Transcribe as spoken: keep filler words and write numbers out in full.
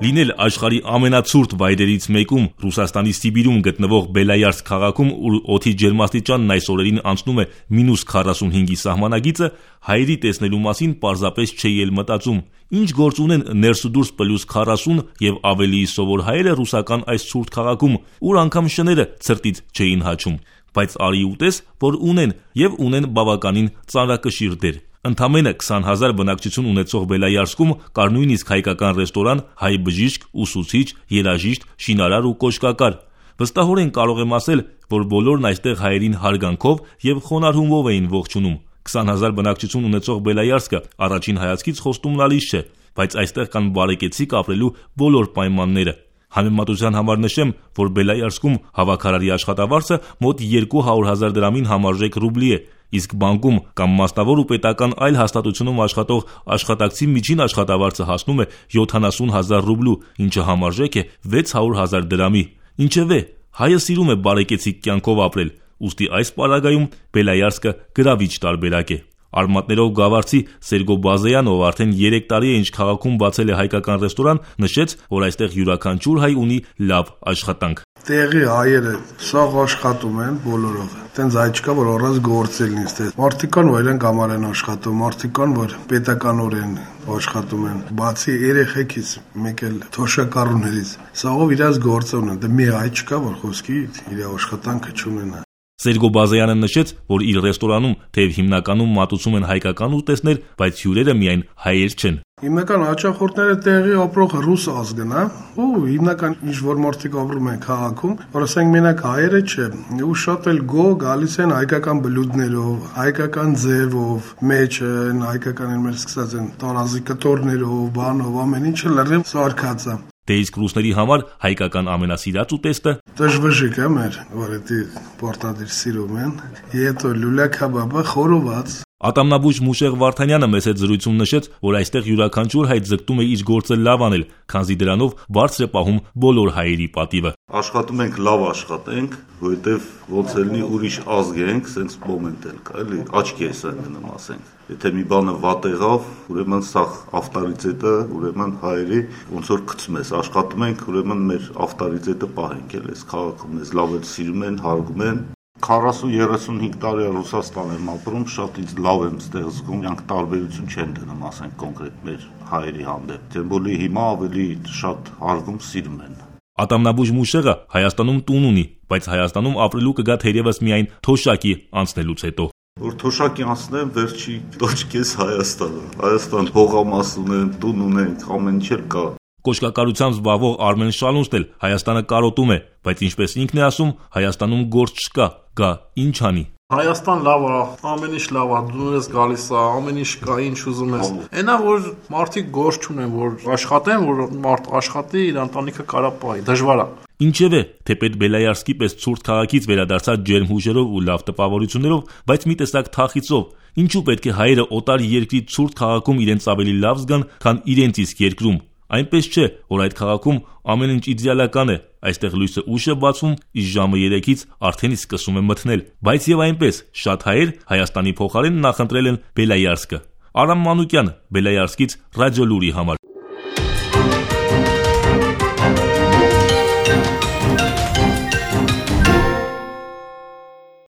Լինել աշխարհի ամենացուրտ վայրերից մեկում, Ռուսաստանի Սիբիրում գտնվող Բելոյարսկ քաղաքում, ուր օդի ջերմաստիճանն այս օրերին անցնում է մինուս քառասունհինգի սահմանագիծը, հայերի տեսնելու մասին պարզապես չէի էլ մտածում։ Ինչ գործ ունեն ներս ու դուրս պլյուս քառասուն եւ ավելի սովոր հայերը ռուսական այս ցուրտ քաղաքում, ուր անգամ շները ցրտից չէին հաչում։ Բայց արի ուտես, որ ունեն եւ ունեն բավականին ծանրակշիռ դեր։ Ընդամենը քսան հազար բնակչություն ունեցող Բելոյարսկում կար նույնիսկ հայկական ռեստորան, հայ բժիշկ, ուսուցիչ, երաժիշտ, շինարար ու կոշկակար։ Վստահորեն կարող եմ ասել, որ բոլորն այստեղ հայերին հարգանքով եւ խոնարհ հումով էին ողջունում։ քսան հազար բնակչություն ունեցող Բելոյարսկը առաջին հայացքից խոստումնալից չէ, բայց այստեղ կան բարեկեցիկ ապրելու բոլոր պայմանները։ Համեմատության համար նշեմ, որ Բելոյարսկում հավաքարարի աշխատավարձը մոտ երկու հարյուր հազար դրամին համարժեք ռուբլի է, իսկ բանկում կամ մասնավոր ու պետական այլ հաստատությունում աշխատող աշխատակցի միջին աշխատավարձը հասնում է յոթանասուն հազար ռուբլու, ինչը համարժեք է վեց հարյուր հազար դրամի։ Ինչևէ, հայը սիրում է բարեկեցիկ կյանքով ապրել, ուստի այս պարագայում Բելոյարսկը գրավիչ տարբերակ է։ Արմատներով գավառցի Սերգո Բազեյանը, ով արդեն երեք տարի է ինչ քաղաքում բացել է հայկական ռեստորան, նշեց, որ այստեղ յուրաքանչյուր հայ ունի լավ աշխատանք։ Տեղի հայերը սաղ աշխատում են բոլորով։ Տենց այ չկա, որ առանց գործել նստել։ Մարդիկ կան, որ իրենք համար են աշխատում, մարդիկ կան, որ պետականորեն աշխատում են։ Բացի երեխեքից, մեկ էլ թոշակառուներից, սաղով իրաց գործ ունեն։ Դե մի հայ չկա, որ խոսքի իր աշխատանքը չունենա։ Սերգո Բազեյանը նշեց, որ իր ռեստորանում թեև հիմնականում մատուցում են հայկական ուտեստներ, բայց հյուրերը միայն հայեր չեն։ Հիմնական հաճախորդները տեղի ապրող ռուս ազգն է, ու հիմնական ինչ որ մարդիկ ապրում են քաղաքում, որ ասենք մենակ հայերը չէ, ու շատ էլ գո գալիս են հայկական բլուդներով, հայկական ձևով, մեջը հայկական են մեր սկսած են տարազի կտորներով, բանով, ամեն ինչը լրիվ սարքած է։ Դե իսկ ռուսների համար հայկական ամենասիրած ուտեստը դժվժիկ է մեր, որ դա պորտադիր սիրում են, հետո լուլա քաբաբը խորոված։ Ատամնաբույժ Մուշեղ Վարդանյանը մեծ զրույցում նշեց, որ այստեղ յուրաքանչյուր հայ ձգտում է իր գործը լավ անել, քանզի դրանով բարձր է պահում բոլոր հայերի պատիվը։ Աշխատում ենք լավ աշխատենք, որովհետև ոնց էլի ուրիշ ազգ ենք, սենց մոմենտ էլ կա, էլի աչքի էս այնքան ասենք։ Եթե մի բանը վատ եղավ, ուրեմն սա ավտորիտետը, ուրեմն հայերի ոնց որ գցում ես, աշխատում ենք, ուրեմն մեր ավտորիտետը պահենք էլ, այս քաղաքում մեզ լավ էլ սիրում են, հարգում են։ քառասուն երեսունհինգ տարի Ռուսաստան եմ ապրում, շատ ինձ լավ եմ ստեղ զգում, իրանք տարբերություն չեն դնում, ասենք կոնկրետ մեր հայերի հանդեպ։ Դեռ բոլի հիմա ավելի շատ հարգում սիրում են։ Ատամնաբույժ Մուշեղը Հայաստանում տուն ունի, բայց Հայաստանում ապրելու կգա թերևս միայն թոշակի անցնելուց հետո։ Որ թոշակի անցնեմ, վերջի տոճկես Հայաստանը։ Հայաստան հողամաս ունեն, տուն ունենք, ամեն ինչ կա։ Կոշկակարությամբ զբաղվող Արմեն Շալունստել Հայաստանը կարոտում է, բայց ինչպես ինքն է ասում, Հայաստանում գործ չկա, գա ինչ անի։ Հայաստան լավ է, ամեն ինչ լավ է, դու ես գալիս է, ամեն ինչ կա, ինչ ուզում ես։ Այնա որ մարդիկ գործ չունեն, որ աշխատեն, որ մարդ աշխատի, իր ընտանիքը կարա պահի, դժվար է։ Ինչևէ, թեպետ Բելոյարսկի պես ցուրտ քաղաքից վերադարձած ջերմ հուշերով ու լավ տպավորություններով, բայց մի տեսակ թախիծով, ինչու պետք է հայերը օտար երկրի ցուրտ քաղաքում իրենց ավելի լավ զգան, քան իրենց իսկ երկրում։ Այնպես չէ, որ այդ քաղաքում ամեն ինչ իդեալական է, այստեղ լույսը ուշ է բացվում, իսկ ժամը երեքից արդեն իսկ սկսում է մթնել, բայց եւ այնպես շատ հայեր Հայաստանի փոխարեն նախընտրել են Բելոյարսկը։ Արամ Մանուկյան, Բելոյարսկից Ռադիոլուրի համար։